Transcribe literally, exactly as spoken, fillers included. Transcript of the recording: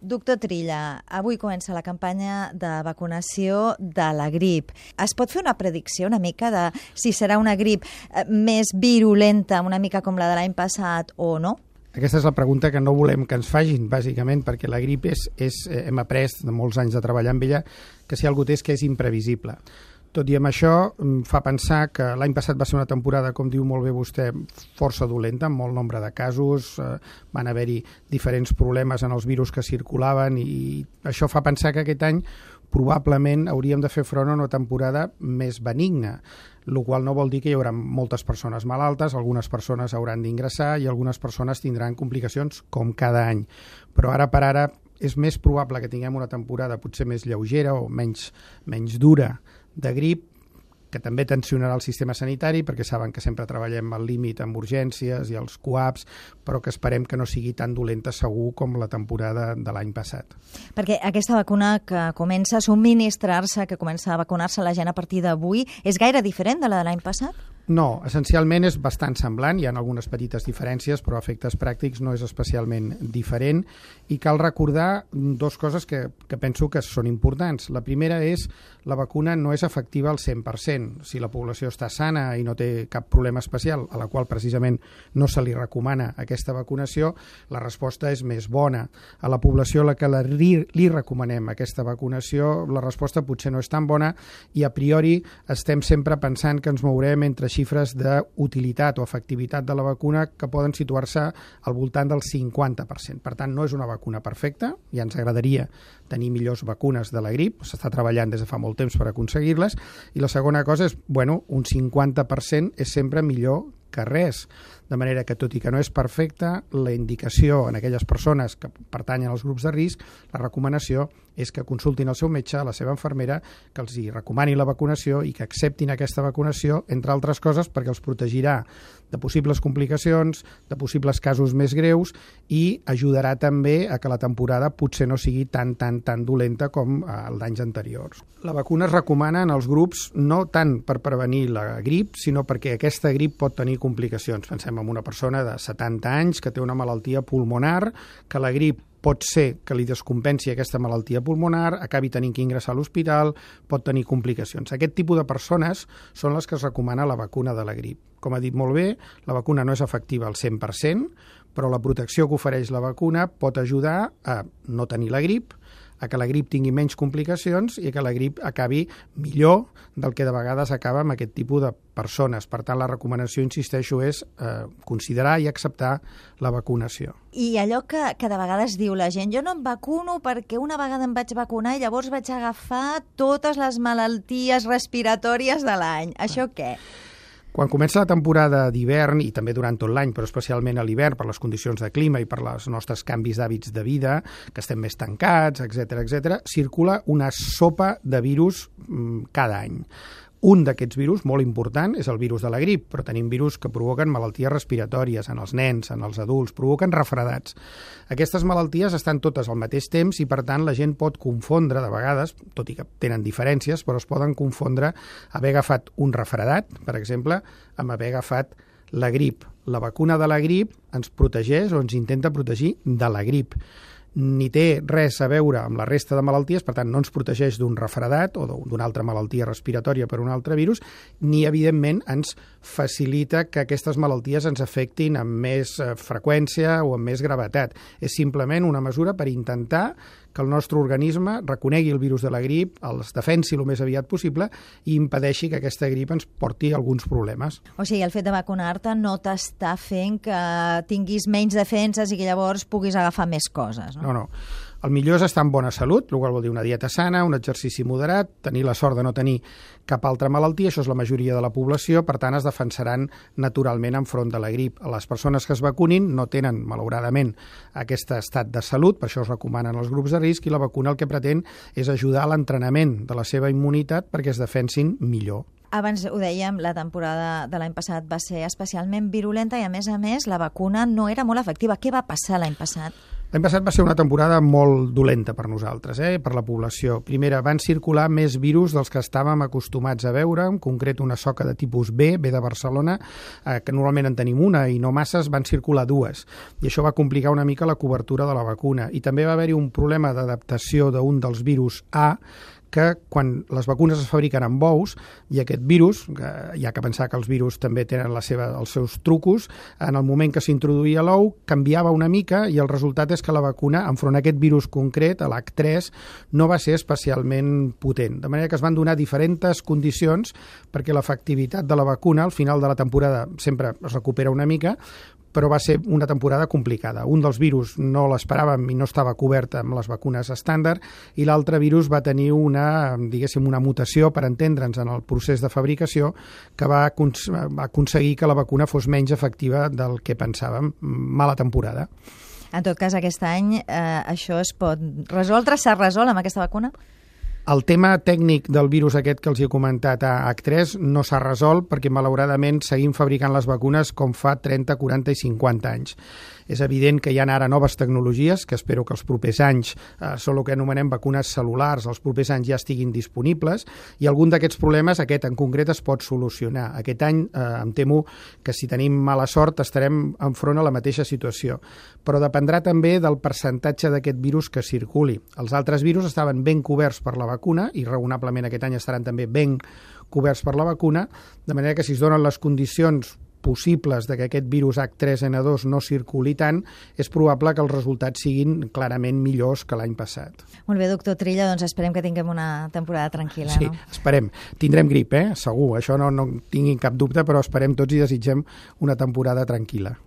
Doctor Trilla, avui comença la campanya de vacunació de la grip. Es pot fer una predicció una mica de si serà una grip més virulenta, una mica com la de l'any passat o no? Aquesta és la pregunta que no volem que ens facin, bàsicament, perquè la grip és, és hem après de molts anys de treballar amb ella, que si algú té és que és imprevisible. Tot i amb això, fa pensar que l'any passat va ser una temporada, com diu molt bé vostè, força dolenta, amb molt nombre de casos, eh, van haver-hi diferents problemes en els virus que circulaven i això fa pensar que aquest any probablement hauríem de fer front a una temporada més benigna, el qual no vol dir que hi haurà moltes persones malaltes, algunes persones hauran d'ingressar i algunes persones tindran complicacions com cada any. Però ara per ara és més probable que tinguem una temporada potser més lleugera o menys, menys dura de grip, que també tensionarà el sistema sanitari, perquè saben que sempre treballem al límit amb urgències i els coaps, però que esperem que no sigui tan dolenta segur com la temporada de l'any passat. Perquè aquesta vacuna que comença a subministrar-se, que comença a vacunar-se la gent a partir d'avui, és gaire diferent de la de l'any passat? No, essencialment és bastant semblant, hi ha algunes petites diferències, però a efectes pràctics no és especialment diferent, i cal recordar dues coses que, que penso que són importants. La primera és la vacuna no és efectiva al cent per cent. Si la població està sana i no té cap problema especial, a la qual precisament no se li recomana aquesta vacunació, la resposta és més bona. A la població a la que li, li recomanem aquesta vacunació, la resposta potser no és tan bona i a priori estem sempre pensant que ens mourem entre xifres d'utilitat o efectivitat de la vacuna que poden situar-se al voltant del cinquanta per cent. Per tant, no és una vacuna perfecta, ja ens agradaria tenir millors vacunes de la grip, s'està treballant des de fa molt temps per aconseguir-les, i la segona cosa és, bueno, un cinquanta per cent és sempre millor que res. De manera que, tot i que no és perfecta, la indicació en aquelles persones que pertanyen als grups de risc, la recomanació és que consultin el seu metge, la seva infermera, que els hi recomani la vacunació i que acceptin aquesta vacunació, entre altres coses, perquè els protegirà de possibles complicacions, de possibles casos més greus i ajudarà també a que la temporada potser no sigui tan, tan, tan dolenta com els d'anys anteriors. La vacuna es recomana en els grups no tant per prevenir la grip, sinó perquè aquesta grip pot tenir complicacions. Pensem en una persona de setanta anys que té una malaltia pulmonar, que la grip pot ser que li descompensi aquesta malaltia pulmonar, acabi tenint que ingressar a l'hospital, pot tenir complicacions. Aquest tipus de persones són les que es recomana la vacuna de la grip. Com ha dit molt bé, la vacuna no és efectiva al cent per cent, però la protecció que ofereix la vacuna pot ajudar a no tenir la grip, a que la grip tingui menys complicacions i que la grip acabi millor del que de vegades acaba amb aquest tipus de persones. Per tant, la recomanació, insisteixo, és eh, considerar i acceptar la vacunació. I allò que, que de vegades diu la gent, jo no em vacuno perquè una vegada em vaig vacunar i llavors vaig agafar totes les malalties respiratòries de l'any. Això què? Quan comença la temporada d'hivern, i també durant tot l'any, però especialment a l'hivern, per les condicions de clima i per els nostres canvis d'hàbits de vida, que estem més tancats, etcètera, etcètera, circula una sopa de virus mmm, cada any. Un d'aquests virus, molt important, és el virus de la grip, però tenim virus que provoquen malalties respiratòries en els nens, en els adults, provoquen refredats. Aquestes malalties estan totes al mateix temps i, per tant, la gent pot confondre, de vegades, tot i que tenen diferències, però es poden confondre haver agafat un refredat, per exemple, amb haver agafat la grip. La vacuna de la grip ens protegeix o ens intenta protegir de la grip. Ni té res a veure amb la resta de malalties, per tant no ens protegeix d'un refredat o d'una altra malaltia respiratòria per un altre virus, ni evidentment ens facilita que aquestes malalties ens afectin amb més freqüència o amb més gravetat. És simplement una mesura per intentar que el nostre organisme reconegui el virus de la grip, els defensi el més aviat possible i impedeixi que aquesta grip ens porti alguns problemes. O sigui, el fet de vacunar-te no t'està fent que tinguis menys defenses i que llavors puguis agafar més coses, no? No, no. El millor és estar en bona salut, el qual vol dir una dieta sana, un exercici moderat, tenir la sort de no tenir cap altra malaltia, això és la majoria de la població, per tant es defensaran naturalment enfront de la grip. Les persones que es vacunin no tenen, malauradament, aquest estat de salut, per això es recomanen els grups de risc, i la vacuna el que pretén és ajudar a l'entrenament de la seva immunitat perquè es defensin millor. Abans ho dèiem, la temporada de l'any passat va ser especialment virulenta i, a més a més, la vacuna no era molt efectiva. Què va passar l'any passat? L'any passat va ser una temporada molt dolenta per nosaltres, eh? per la població. Primera, van circular més virus dels que estàvem acostumats a veure, en concret una soca de tipus B, B de Barcelona, eh, que normalment en tenim una i no masses, van circular dues. I això va complicar una mica la cobertura de la vacuna. I també va haver-hi un problema d'adaptació d'un dels virus A, que quan les vacunes es fabriquen amb ous i aquest virus, que hi ha que pensar que els virus també tenen la seva, els seus trucos, en el moment que s'introduïa l'ou canviava una mica i el resultat és que la vacuna, enfront a aquest virus concret, a l'H tres, no va ser especialment potent. De manera que es van donar diferents condicions perquè l'efectivitat de la vacuna al final de la temporada sempre es recupera una mica, però va ser una temporada complicada. Un dels virus no l'esperàvem i no estava cobert amb les vacunes estàndard i l'altre virus va tenir una, diguéssim, una mutació, per entendre'ns, en el procés de fabricació que va, va aconseguir que la vacuna fos menys efectiva del que pensàvem. Mala temporada. En tot cas, aquest any eh, això es pot resoldre? S'ha resolt amb aquesta vacuna? El tema tècnic del virus aquest que els he comentat a H tres no s'ha resolt perquè malauradament seguim fabricant les vacunes com fa trenta, quaranta i cinquanta anys. És evident que hi ha ara noves tecnologies que espero que els propers anys eh, són el que anomenem vacunes cel·lulars, els propers anys ja estiguin disponibles i algun d'aquests problemes, aquest en concret, es pot solucionar. Aquest any eh, em temo que si tenim mala sort estarem enfront a la mateixa situació, però dependrà també del percentatge d'aquest virus que circuli. Els altres virus estaven ben coberts per la vacuna i raonablement aquest any estaran també ben coberts per la vacuna, de manera que si es donen les condicions possibles de que aquest virus H tres N dos no circuli tant, és probable que els resultats siguin clarament millors que l'any passat. Molt bé, doctor Trilla, doncs esperem que tinguem una temporada tranquil·la, sí, no? Sí, esperem. Tindrem grip, eh? Segur, això no, no tinguin cap dubte, però esperem tots i desitgem una temporada tranquil·la.